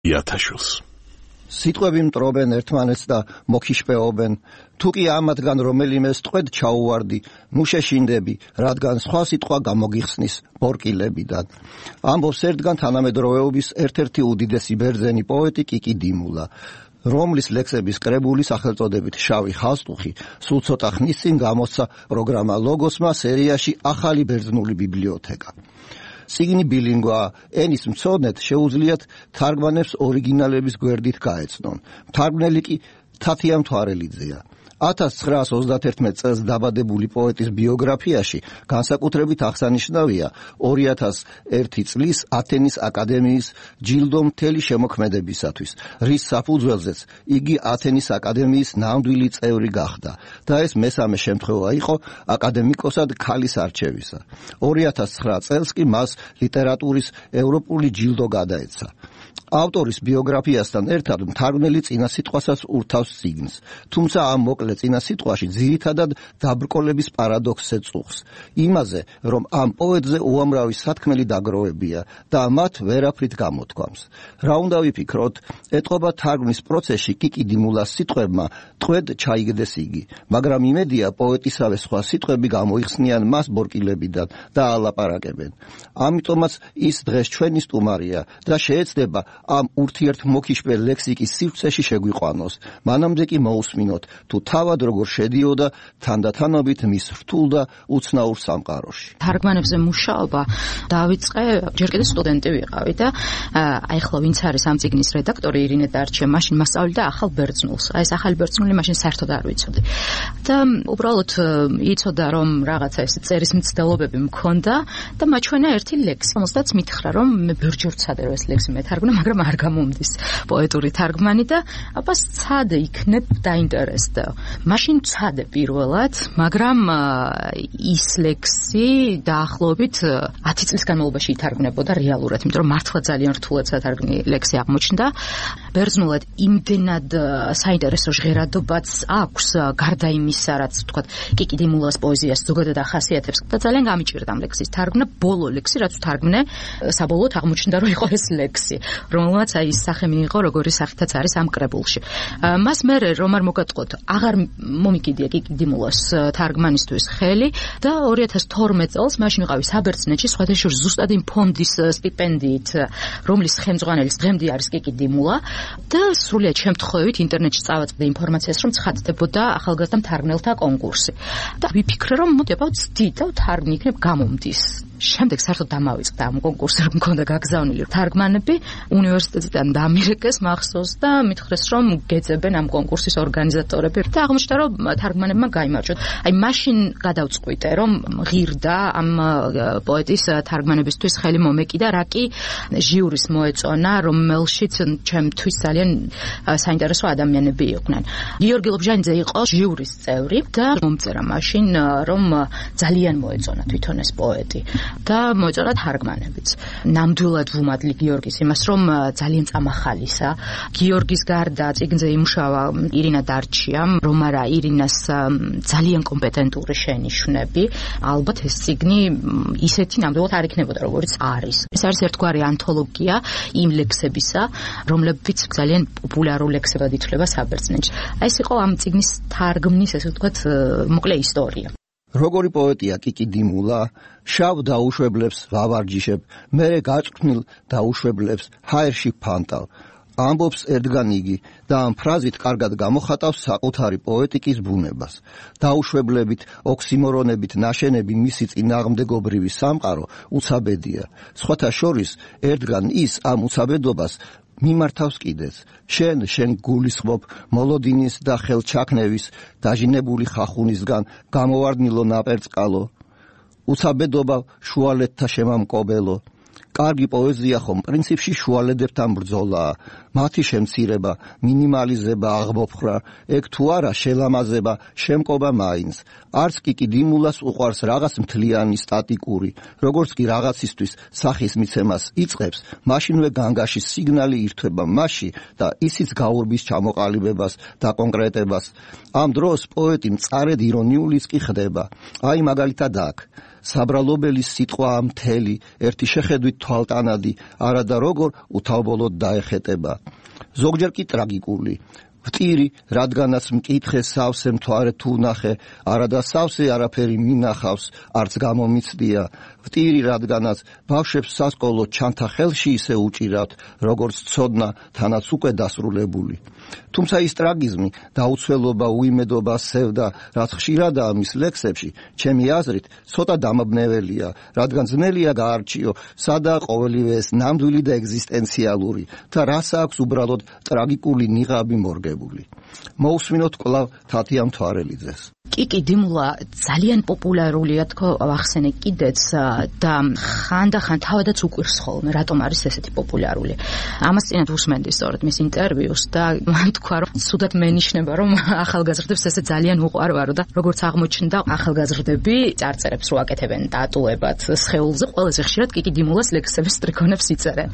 იათაშვილს. სიტყვები მტრობენ ერთმანეთს და მოგიშპეობენ. თუ კი ამათგან რომელიმეს ტყვედ ჩაუვარდი, ნუ შეშინდები, რადგან სხვა სიტყვა გამოგიხსნის ბორკილებიდან. ამბობს ერთგან თანამედროვეობის ერთ-ერთი უდიდესი ბერძენი პოეტი კიკი დინულა, რომლის ლექსების კრებული სახელწოდებით შავი ხალსტუხი სულ ცოტა ხნის წინ გამოსცა პროგრამა ლოგოსმა სერიაში ახალი ბერძნული ბიბლიოთეკა. სიგნი ბილინგვაა, ენის მცოდნეთ შეუძლიათ თარგმანებს ორიგინალების გვერდით გაეცნონ. მთარგმნელი კი თათია მთვარელიძეა. 1931 წელს დაბადებული პოეტის ბიოგრაფიაში განსაკუთრებით აღსანიშნავია 2001 წლის ათენის აკადემიის ჯილდო მთელი შემოქმედებისათვის, რის საფუძველზეც იგი ათენის აკადემიის ნამდვილი წევრი გახდა და ეს მესამე შემთხვევა იყო აკადემიკოსად ქალის არჩევისა. 2009 წელს კი მას ლიტერატურის ევროპული ჯილდო გადაეცა. ავტორის ბიოგრაფიასთან ერთად მთარგმნელი წინასიტყვასაც ურთავს სიგნს, თუმცა ამ მოკლე წინასიტყვაში ძირითადად დაბრკოლების პარადოქსზე წუხს, იმაზე, რომ ამ პოეტზე უამრავი სათქმელი დაგროვებია და მათ ვერაფრით გამოთქვამს. რა უნდა ვიფიქროთ, ეტყობა თარგმნის პროცესში კიკი დინულას სიტყვებმა ტყვედ ჩაიგდეს იგი, მაგრამ იმედია პოეტისავე სხვა სიტყვები გამოიხსნიან მას ბორკილებიდან და ალაპარაკებენ. ამიტომაც ის დღეს ჩვენი სტუმარია და შეეცდება ამ ურთიერთმოქიშპე ლექსიკის სივრცეში შეგვიყვანოს. მანამდე კი მოусმინოთ თუ თავად როგორ შედიოდა თანდათანობით მის რთულ და უცნაურ სამყაროში. თარგმანებზე მუშაობა დავიწყე, ჯერ კიდევ სტუდენტი ვიყავი და ახლა ვინც არის ამ წიგნის რედაქტორი ირინე დარჩია, მაშინ მასწავლიდა ახალ ბერძნულს. აი ეს ახალი ბერძნული მაშინ საერთოდ არ ვიცოდი. და უბრალოდ იცოდა რომ რაღაცა ეს წერის მცდელობები მქონდა და მაჩვენა ერთი ლექსი, რომელსაც მითხრა რომ მე ბერჯერ ვცადე რომ ეს ლექსი მეთარგმნო, მაგრამ არ გამომდის პოეტური თარგმანი და აბას ცადე იქნებ დაინტერესდა. მაშინ ცადე პირველად, მაგრამ ის ლექსი დაახლოებით 10 წლის განმავლობაში ითარგმნებოდა რეალურად, იმიტომ რომ მართლა ძალიან რთულად სათარგმნი ლექსი აღმოჩნდა. ბერძნულად იმდენად საინტერესო ჟღერადობაც აქვს, გარდა იმისა, რაც ვთქვათ, კიკი დინულას პოეზიას ზოგადად ახასიათებს და ძალიან გამიჭირდა ამ ლექსის თარგმნა. ბოლო ლექსი, რაც ვთარგმნე, საბოლოოდ აღმოჩნდა, რომ იყო ეს ლექსი, რომელმაც აი ის სახე მიიღო, როგორი სახითაც არის ამ კრებულში. მას მერე რომ არ მოგატყოთ, აღარ მომიკიდია კიკი დინულას თარგმანისთვის ხელი და 2012 წელს მაშინ ვიყავი საბერძნეთში, სხვათა შორის ზუსტად იმ ფონდის სტიპენდიით, რომლის ხელმძღვანელის დღემდე არის კიკი დინულა და სრულიად შემთხვევით ინტერნეტში წავაწყდი ინფორმაციას, რომ ცხადდებოდა ახალგაზრდა მთარგმნელთა კონკურსი. და ვიფიქრე, რომ მოდი აბა ვცდი და ვთარგმნი, იქნებ გამომდის. შემდეგ საერთოდ დამავიწყდა ამ კონკურსზე, რომ მქონდა გაგზავნილი თარგმანები, უნივერსიტეტიდან დამირეკეს მახსოვს და მითხრეს, რომ გეძებენ ამ კონკურსის ორგანიზატორები და აღმოჩნდა, რომ თარგმანებმა გაიმარჯვოთ. აი მაშინ გადავწყვიტე, რომ ღირდა ამ პოეტის თარგმანებისთვის ხელი მომეკიდა, რა კი ჟიურის მოეწონა, რომელშიც ჩემთვის ძალიან საინტერესო ადამიანები იყვნენ. გიორგი ლობჟანიძე იყო ჟიურის წევრი და მომწერა მაშინ, რომ ძალიან მოეწონა თვითონ ეს პოეტი. და მოეწონა თარგმანებიც. ნამდვილად ვუმადლი გიორგის იმას, რომ ძალიან წამახალისა. გიორგის გარდა წიგნზე იმუშავა ირინა დარჩიამ, რომ არა ირინას ძალიან კომპეტენტური შენიშვნები. ალბათ ეს წიგნი ისეთი ნამდვილად არ იქნებოდა, როგორც არის. ეს არის ერთგვარი ანთოლოგია იმ ლექსებისა, რომლებიც ძალიან პოპულარულ ლექსებად ითვლება საბერძნეთში. აი ეს იყო ამ წიგნის თარგმნის, ესე ვთქვათ, მოკლე ისტორია. როგორი პოეტია კიკი დინულა, შავ დაუშვებლებს ვავარჯიშებ, მერე გაჭრთნილ დაუშვებლებს ჰაერში ფანტავ. ამბობს ერთგან იგი და ამ ფრაზით კარგად გამოხატავს საკუთარი პოეტიკის ბუნებას. დაუშვებლებით, ოქსიმორონებით ნაშენები მისი წინააღმდეგობრივი სამყარო უცაბედია. სხვათა შორის ერთგან ის ამ უცაბედობას მიმართავს კიდეც. შენ გულისხმობ მოლოდინის და ხელჩაქნევის დაჟინებული ხახუნისგან გამოვარდნილო ნაპერწკალო. უცაბედობა შუალედთა შემამკობელო. კარგი პოეზია ხომ პრინციპში შუალედებთან ბრძოლაა. მათი შემცირება, მინიმალიზება, აღმოფხრა, ეგ თუ არა შელამაზება, შემკობა მაინც. არც კიკი დინულას უყვარს რაღაც მთლიანი სტატიკური, როგორც კი რაღაცისთვის სახის მიცემას იწყებს, მაშინვე განგაშის სიგნალი ირთვება მასში და ისიც გაურბის ჩამოყალიბებას და კონკრეტებას. ამ დროს პოეტი მწარედ ირონიულიც კი ხდება. აი მაგალითად აქ საბრალობელი სიტყვა მთელი, ერთი შეხედვით თვალტანადი, არადა როგორ უთავბოლოდ დაეხეტება. ზოგჯერ კი ტრაგიკული. ვტირი, რადგანაც მკითხე სავსე მთვარე თუ ნახე, არადა სავსე არაფერი მინახავს, არც გამომიცდია. ვტირი, რადგანაც ბავშვებს სასკოლო ჩანთა ხელში ისე უჭირავთ, როგორც ცოდნა, თანაც უკვე დასრულებული. თუმცა ის ტრაგიზმი, დაუცველობა, უიმედობა, სევდა, რაც ხშირადაა მის ლექსებში, ჩემი აზრით, ცოტა დამაბნეველია, რადგან ძნელია გაარჩიო, სადაა ყოველივე ეს ნამდვილი და ეგზისტენციალური და რას აქვს უბრალოდ ტრაგიკული ნიღაბი მორგებული. მოусმინოთ კვლავ თათია მთვარელიძეს. კიკი დიმულა ძალიან პოპულარულია თქო ახსენე კიდეც და ხანდახან თავადაც უყვირს ხოლმე რატომ არის ესეთი პოპულარული. ამას წინათ უსმენდი სწორედ მის ინტერვიუს და მან თქვა რომ ცუდად მენიშნება რომ ახალგაზრდებს ესე ძალიან უყვარვარო და როგორც აღმოჩნდა ახალგაზრდები წარწერებს რო აკეთებენ დატულებად სხეულზე ყველაზე ხშირად კიკი დიმულას ლექსების სტრიქონებს იწერენ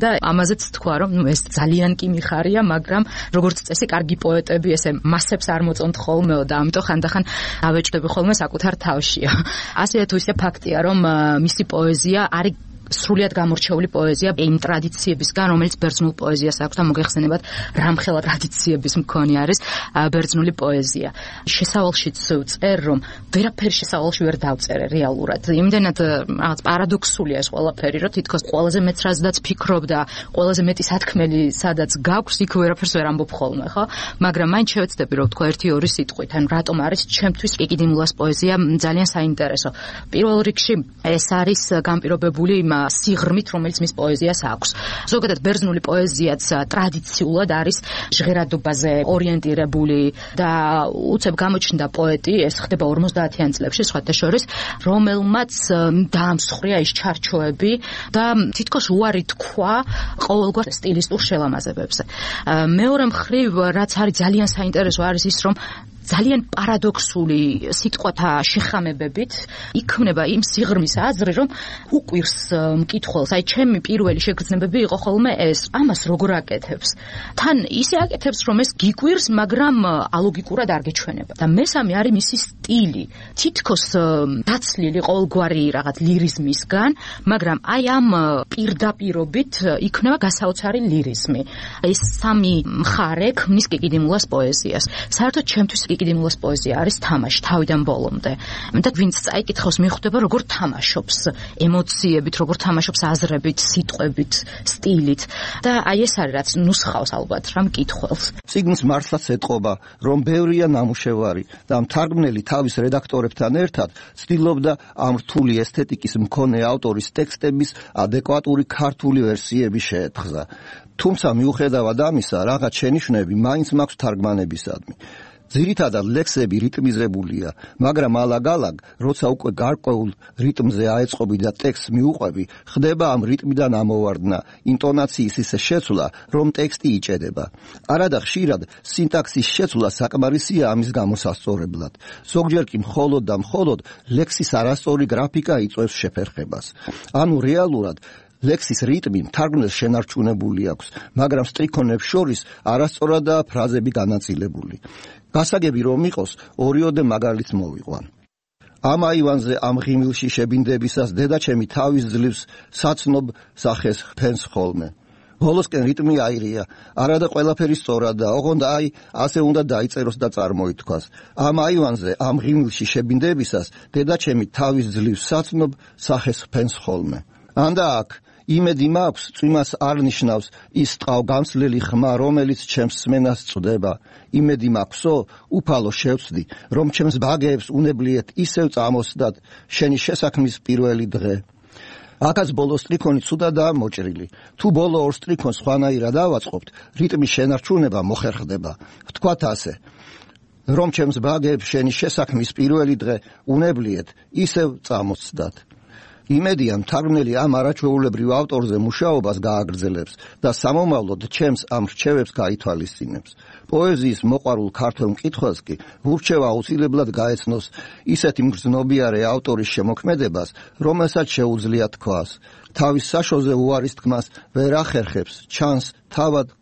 და ამაზეც თქვა რომ ეს ძალიან კი მიხარია მაგრამ როგორც წესი კარგი პოეტები ესე მასებს არ მოწონთ ხოლმეო და ამიტომ ხანდახან ავეჭდები ხოლმე საკუთარ თავშია. ასე თუ ისე ფაქტია, რომ მისი პოეზია არის სრულიად გამორჩეული პოეზია იმ ტრადიციებისგან, რომელიც ბერძნულ პოეზიას აქვს და მოგეხსენებათ, რამხელა ტრადიციების მქონე არის ბერძნული პოეზია. შესავალშიც ვწერ, რომ ვერაფერი შესავალში ვერ დავწერე რეალურად. იმდენად რაღაც პარადოქსულია ეს ყველაფერი, რომ თითქოს ყველაზე მეც რაზედაც ფიქრობ და ყველაზე მეტი სათქმელი სადაც გაქვს, იქ ვერაფერს ვერ ამბობ ხოლმე, ხო? მაგრამ მაინც შევეცდები, რომ თქვა 1-2 სიტყვით, ან რატომ არის ჩემთვის კიკი დიმულას პოეზია ძალიან საინტერესო. პირველ რიგში ეს არის განპირობებული იმ სიღრმით, რომელიც მის პოეზიას აქვს. ზოგადად ბერძნული პოეზიაც ტრადიციულად არის ჟღერადობაზე ორიენტირებული და უცებ გამოჩნდა პოეტი, ეს ხდება 50-იან წლებში, სხვათა შორის, რომელმაც დაამსხვრია ის ჩარჩოები და თითქოს უარი თქვა ყოველგვარ სტილისტურ შელამაზებებზე. მეორე მხრივ, რაც არის ძალიან საინტერესო, არის ის, რომ ძალიან პარადოქსული სიტყვათა შეხამებებით იქმნება იმ სიღრმის აზრი, რომ უყვირს მკითხველს. აი, ჩემი პირველი შეგრძნებები იყო ხოლმე ეს, ამას როგორ აკეთებს. თან ისე აკეთებს, რომ ეს გიყვირს, მაგრამ ალოგიკურად არ გეჩვენება. და მესამე არის მისი სტილი. თითქოს დაცლილი ყოველგვარი რაღაც ლირიზმისგან, მაგრამ აი ამ პირდაპირობით იქნება გასაოცარი ლირიზმი. ეს სამი მხარე ქმნის კიკი დიმულას პოეზიას. საერთოდ ჩემთვის კიკი დიმულას პოეზია არის თამაში თავიდან ბოლომდე. და ვინც წაიკითხავს, მიხვდება როგორ თამაშობს ემოციებით, როგორ თამაშობს აზრებით, სიტყვებით, სტილით. და აი ეს არის რაც ნუსხავს ალბათ რა მკითხველს. წიგნს მართლაც ეტყობა, რომ ბევრია ნამუშევარი და მთარგმნელი თავის რედაქტორებთან ერთად ცდილობდა ამ რთული ესთეტიკის მქონე ავტორის ტექსტების ადეკვატური ქართული ვერსიები შეეთხზა. თუმცა მიუხედავად ამისა, რაღაც შენიშვნები მაინც მაქვს თარგმანებისადმი. ძირითადად ლექსები რიტმიზებულია, მაგრამ ალაგ-ალაგ, როცა უკვე გარკვეულ რიტმზე აეწყობი და ტექსტს მიუყვები, ხდება ამ რიტმიდან ამოვარდნა, ინტონაციის ისე შეცვლა, რომ ტექსტი იჭედება. არადა ხშირად სინტაქსის შეცვლა საკმარისია ამის გამოსასწორებლად. ზოგჯერ კი მხოლოდ და მხოლოდ ლექსის არასწორი გრაფიკა იწვევს შეფერხებას. ანუ რეალურად ლექსის რიტმი მთარგმნელს შენარჩუნებული აქვს, მაგრამ სტრიქონებს შორის არასწორადაა ფრაზები განაწილებული. გასაგები რომ იყოს, ორიოდე მაგალითს მოვიყვან. ამ აივანზე ამ ღიმილში შებინდებისას დედაჩემი თავის ძლივს საცნობ სახეს ფენს ხოლმე. ბოლოსკენ რიტმი აირია, არადა ყველაფერი სწორადაა, ოღონდ აი ასე უნდა დაიწეროს და წარმოითქვას. ამ აივანზე ამ ღიმილში შებინდებისას დედაჩემი თავის ძლივს საცნობ სახეს ფენს ხოლმე. ანდა აქ იმედი მაქვს, წვიმას არ ნიშნავს ის ტყავგამსლელი ხმა, რომელიც ჩემს სმენას წვდება. იმედი მაქვსო, უფალო შევცდი, რომ ჩემს ბაგეებს უნებლიეთ ისევ წამოსდათ შენი შესაქმნის პირველი დღე. აქაც ბოლო სტრიქონი ცუდადაა მოჭრილი. თუ ბოლო ორ სტრიქონს სხვანაირად ავაწყობთ, რიტმის შენარჩუნება მოხერხდება. ვთქვათ ასე, რომ ჩემს ბაგეებს შენი შესაქმნის პირველი დღე უნებლიეთ ისევ წამოსდათ. იმედია მთარგმნელი ამ არაჩვეულებრივ ავტორზე მუშაობას გააგრძელებს და სამომავლოდ ჩემს ამ რჩევებს გაითვალისწინებს. პოეზიის მოყვარულ ქართველ მკითხველს კი ურჩევა აუცილებლად გაეცნოს ისეთი მგრძნობიარე ავტორის შემოქმედებას, რომელსაც შეუძლია თქვას. თავის საშოზე უარის თქმას ვერ ახერხებს, ჩანს თავად